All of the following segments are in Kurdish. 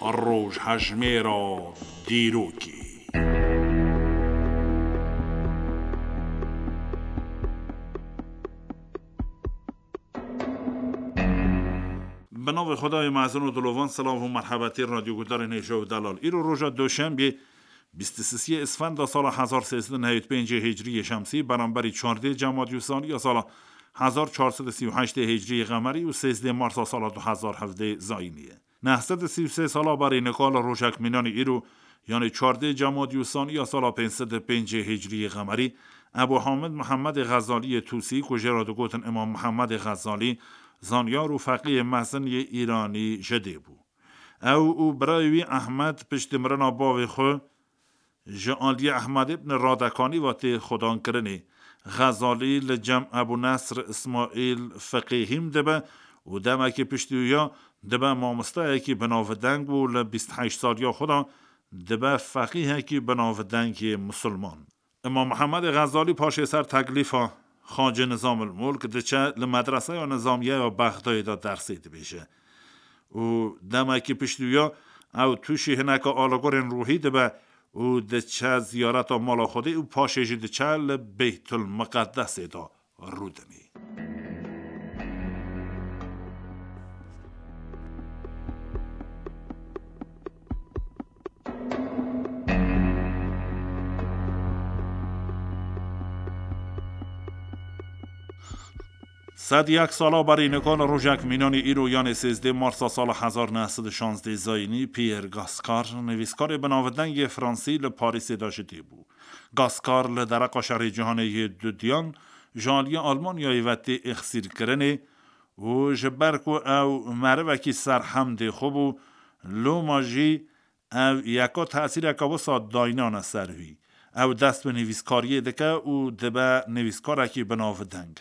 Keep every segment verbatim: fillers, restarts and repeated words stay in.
Rojhejmêra dîrokê. Bi navê Xwedayê mezin û dilovan, silav û merhebetî radyoguhdarên hêja û delal. Îro roja Doşembê, bîst û sisê Îsfenda sala hezar sêzdeh nehêd pêncê Hicriyê Şemsî, beramberî çardê Cemadî Usaniya sala hezar çar sed û sî û heştê Hicriyê Qemerî û sêzdê Marsa sala du hezar hevdê Zayînî ye. Neh sed û sî û sê sala berî nika li rojek mînanî îro, yanê çardê Cemadî Usaniya sala pênc sed û pêncê Hicriyê Qemerî, Ebu Hamid Mihemedê Xezaliyê Tûsî, ku jê re digotin Îmam Mihemedê Xezalî, zanyar û feqîyê mezin yê Îranî ji dê bû. Ew û birayê wî Ehmed piştî mirina bavê xwe, ji aliyê Ehmed ibn Radekanî ve tê xwedankirinê. Xezalî li cem Ebû Nesr Îsmaîl Feqîhîm dibe û demekî piştî wî ya dibe mamosteyekî binavdeng û li bîst heşt saliya xwe de dibe feqîhekî binavdeng yê misilman. Îmam Mihemedê Xezalî paşê ser teklîfa Xacê Nizamil Mulk diçe li medreseya nizamiye ya Bexdayê de dersê dibêje. Û demekî piştî wî ya ew tûşî hineke alegorên ruhî dibe û diçe ziyareta mala Xwedê û paşê jî diçe li Beytul Miqeddesê de rûdinê. Sed yek sala berî nika li rojek mînanî îro, yanê sêzdê Marsa sala hezar neh sed û şazdê Zayînî, Pierre Gascar, nivîskarê binavdeng yê Fransî, li Parîsê de ji dê bû. Gascar li dereqa Şerê Cîhanê yê Dudiyan ji aliyê Almanyayê ve tê êxsîrkirinê û ji ber ku ew merivekî serhemdê xwe bû, loma jî ev yeka tesîreke wisa daynane ser wî. Ew dest bi nivîskariyê dike û dibe nivîskarekî binavdeng.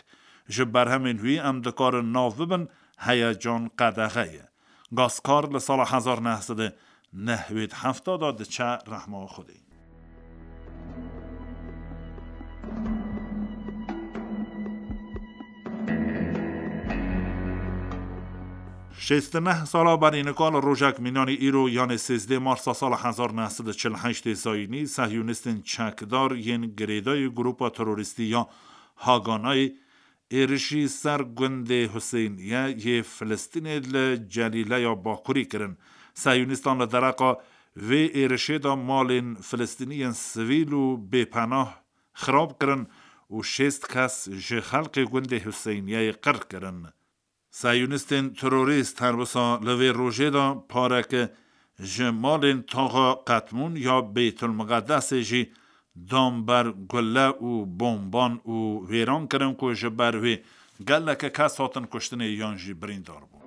Ji berhemên wî em dikarin nav bibin, Heyecan Qedexe ye. Gascar li sala hezar neh sed û nehwêd hefta de diçe rehma Xwedê. Şêst û neh sala berî nika li rojek mînanî îro, yanê sêzdê Marsa sala hezar neh sed û çil û heştê Zayînî, sehyonîstên çekdar yên girêdayî grupa terorîstî ya Haganayê êrişî ser gundê Huseyniye yê Filistînê li Celîleya Bakurî kirin. Sehyonîstan li dereqa vê êrişê de malên Filistîniyên sivîl û bêpenah xirab kirin û şêst kes ji xelkê gundê Huseyniyeyê qir kirin. Sehyonîstên terorîst her wisa li vê rojê de pareke ji malên taxa Qetmûn ya Beytulmiqedesê jî dan ber gule û bomban û wêran kirin ku ji ber wê geleke kes hatin kuştinê yan jî birîndar bûn.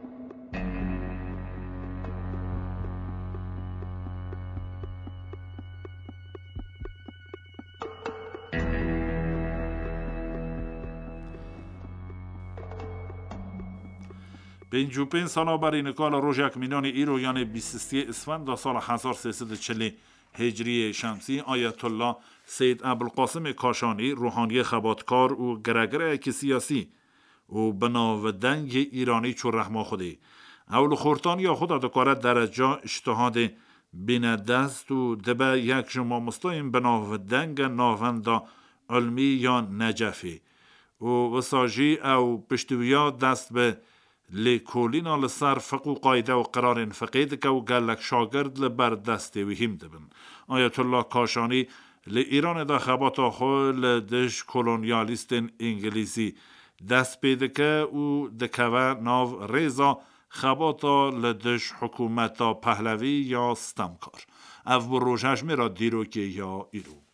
Pêncî û pênc sala berî nika li rojek mînanî îro, yanê bîst û sê Îsfenda sala hezar sê sed û çilê Hicriyê Şemsî, Ayetullah Seyyid Ebulqasimê Kaşanî, ruhaniyê xebatkar û giregireyekî siyasî û binavdeng yê Îranî çû rehma Xwedê. Ew li xortaniya xwe de dikare dereca îctihadê bîne dest û dibe yek ji mamostayên binavdeng e navenda ilmî ya Necefê. Û wisa jî ew piştî wiya dest bi lêkolîna li ser fiq û qayde û qirarên fiqê dike û gelek şagird li ber destê wî hîm dibin. Ayetullah Kaşanî li Îranê de xebata xwe li dij kolonyalîstên îngilîzî dest pê dike û dikeve nav rêza xebata li dij hikûmeta Pehlevî ya stemkar. Ev bû rojhejmêra dîrokê ya îro.